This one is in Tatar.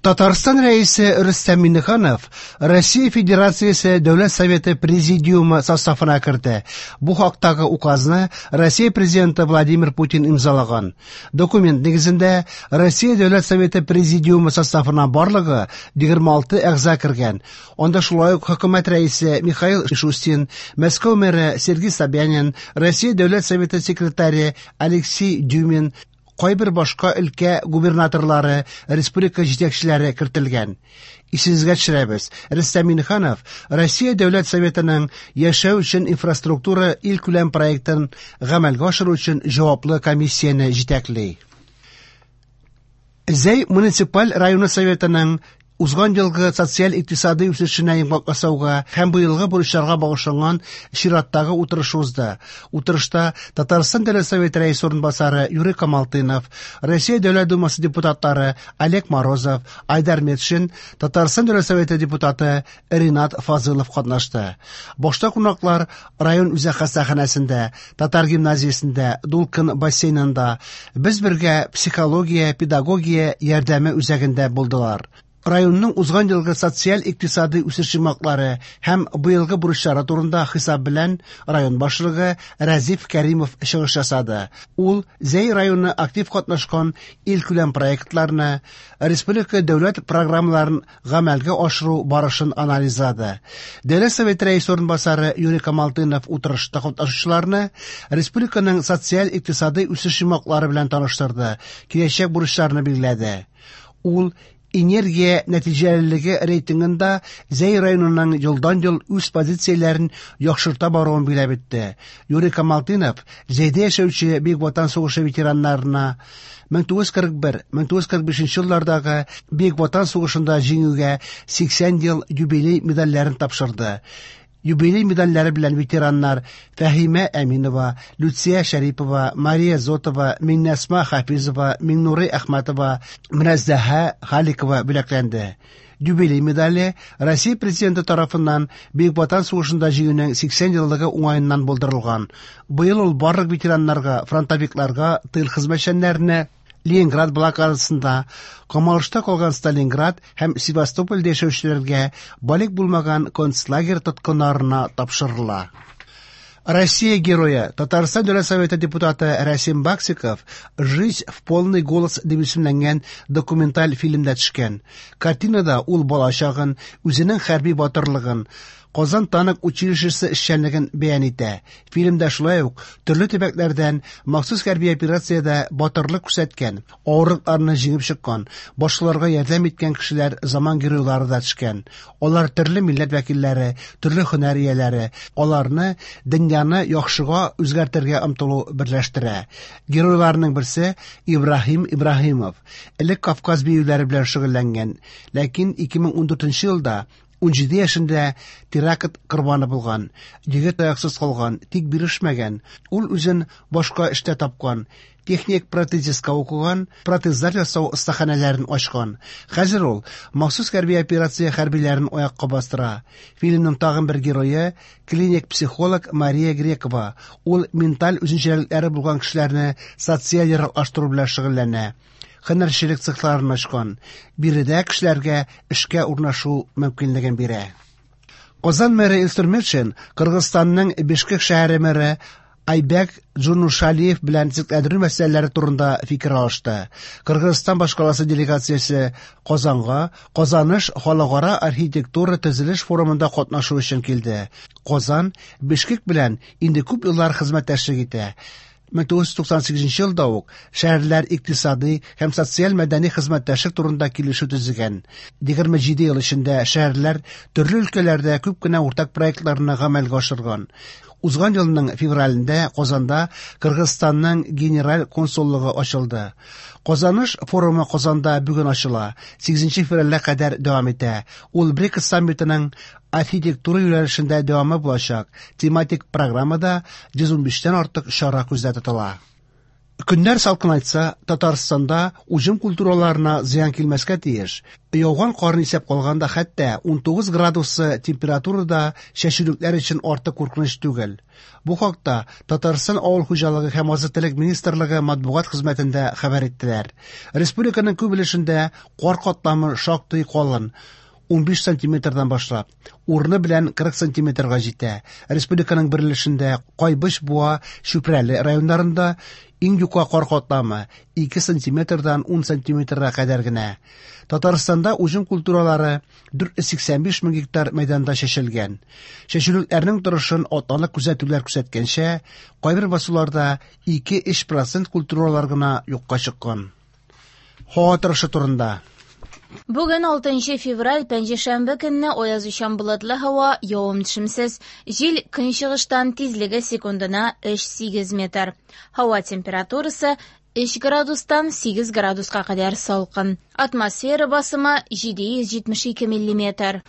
Татарстан Рәисе Рөстәм Миңнеханов Россия Федерациясе Дәүләт Советы Президиумы составына керде. Бу хактагы указны Россия Президенты Владимир Путин имзалаган. Документ нигезендә Россия Дәүләт Советы Президиумы составына барлыгы 26 әгъза кергән. Анда шулай ук хөкүмәт рәисе Михаил Мишустин, Мәскәү мэры Сергей Собянин, Россия Дәүләт Советы секретаре Алексей Дюмин, кайбер башка өлкә губернаторлары, республика җитәкчеләре кертелгән. Исегезгә төшерәбез, Рөстәм Миңнеханов Россия Дәүләт Советының Яшәү өчен инфраструктура илкүләм проектын гамәлгә ашыру өчен җаваплы комиссияне җитәкли. Зәй муниципаль районы советының узган елгы социаль-икътисадый үсешенә йомгак ясауга һәм быелгы бурычларга багышланган чираттагы утырыш узды. Утырышта Татарстан Дәүләт Советы рәисе урынбасары Юрий Камалтынов, Россия Дәүләт Думасы депутатлары Олег Морозов, Айдар Метшин, Татарстан Дәүләт Советы депутаты Ринат Фазылов катнашты. Башта кунаклар район үзәк хастаханәсендә, татар гимназиясендә, Дулкын бассейнында, Без бергә психология, педагогия ярдәме үзәгендә булдылар. Районның узган елгы социаль-икътисадый үсеш йомгаклары һәм быелгы бурычлары турында хисап белән район башлыгы Рәзиф Кәримов чыгыш ясады. Ул Зәй районы актив катнашкан илкүләм проектларны, республика дәүләт программаларын гамәлгә ашыру барышын анализлады. Дәүләт Советы рәисе урынбасары Юрий Камалтынов утырышта катнашучыларны республиканың социаль-икътисадый үсеш йомгаклары белән таныштырды, киләчәк бурычларны билгеләде. Ул энергия нәтиҗәлелеге рейтингында Зәй районының елдан-ел үз позицияләрен яхшырта баруын билгеләп үтте. Юрий Камалтынов Зәйдә яшәүче Бөек Ватан сугышы ветераннарына 1941-1945 еллардагы Бөек Ватан сугышында җиңүгә 80 ел юбилей медальләрен тапшырды. Юбилей медальләре белән ветераннар Фәһимә Әминова, Люция Шәрипова, Мария Зотова, Миңнәсма Хафизова, Миңнурый Әхмәтова, Мөнәззәһә Халикова бүләкләнде. Юбилей медале Россия Президенты тарафыннан Бөек Ватан сугышында җиңүнең 80 еллыгы уңаеннан булдырылган. Быел ул барлык ветераннарга, фронтовикларга, тыл хезмәтчәннәренә Ленинград блокадасында камалышта калган Сталинград һәм Севастопольдә яшәүчеләргә балигъ булмаган концлагерь тоткыннарына тапшырыла. Россия герое, Татарстан Дәүләт Советы депутаты Рәсим Баксиков «Жизнь в полный голос» дип исемләнгән документаль фильмда төшкән. Картинада ул балачагын, үзенең хәрби батырлыгын, Казан танк училищесы эшчәнлеген бәян итә. Фильмда шулай ук төрле төбәкләрдән махсус хәрби операциядә батырлык күрсәткән, авырлыкларны җиңеп чыккан, башкаларга ярдәм иткән кешеләр заман геройлары да төшкән. Алар төрле милләт вәкилләре, төрле һөнәр ияләре. Аларны дөньяны яхшыга үзгәртергә омтылу берләштерә. Геройларның берсе Ибраһим Ибраһимов. Элек Кавказ биюләре белән шөгыльләнгән, ләкин 2014 елда 17 яшендә теракт корбаны булган. Егет аяксыз калган, тик бирешмәгән. Ул үзен башка эштә тапкан. Техник протезистка укыган, протезлар ясау остаханәләрен ачкан. Хәзер ул махсус хәрби операция хәрбиләрен аякка бастыра. Фильмның тагын бер герое клиник психолог Мария Грекова. Ул менталь үзенчәлекләре булган кешеләрне социаль яраклаштыру белән шөгыльләнә. Һөнәрчелек цехларын ачкан. Биредә кешеләргә эшкә урнашу мөмкинлеген бирә. Казан мэры Илсур Метшин Кыргызстанның Бишкек шәһәре мэры Айбек Джунушалиев белән төзекләндерү мәсьәләләре турында фикер алышты. Кыргызстан башкаласы делегациясе Казанга Казаныш халыкара архитектура төзелеш форумында катнашу өчен килде. Казан Бишкек белән инде күп еллар хезмәттәшлек итә. 1998 елда ук шәһәрләр икътисадый һәм социаль-мәдәни хезмәттәшлек турында килешү төзегән. 27 ел эчендә шәһәрләр төрле өлкәләрдә күп кенә уртак проектларны гамәлгә ашырган. Узган елның февралендә Казанда Кыргызстанның генераль консуллыгы ачылды. Казаныш форумы Казанда бүген ачыла, 8 февральгә кадәр дәвам итә. Ул БРИКС саммитының архитектура юнәлешендә дәвамы булачак. Тематик программада 115тән артык чара күздә тотыла. Көннәр салкынайтса, Татарстанда уҗым культураларына зыян килмәскә тиеш. Яуган карны исәпкә алганда, хәтта 19 градусы температура да чәчүлекләр өчен артык куркыныч түгел. Бу хакта Татарстан Авыл хуҗалыгы һәм азык-төлек министрлыгы матбугат хезмәтендә хәбәр иттеләр. Республиканың күп өлешендә кар катламы шактый калын, 15 сантиметрдан башлап, урыны белән 40 сантиметрга җитә. Республиканың бер өлешендә Кайбыч, Буа, Чүпрәле районнарында иң юка кар катламы 2 сантиметрдан 10 сантиметрга кадәр генә. Татарстанда уҗым культуралары 485 мең гектар мәйданда чәчелгән. Чәчүлекләрнең торышын атналык күзәтүләр күрсәткәнчә, кайбер басуларда 2-3 процент культуралар гына юкка чыккан. Һава торышы турында. Бүген 6 февраль, пәнҗешәмбе көнне аязучан болытлы һава, явым-төшемсез. Җил көнчыгыштан, тизлеге секундына 3,8 метр. Һава температурасы 3 градустан 8 градуска кадәр салкын. Атмосфера басымы 772 миллиметр.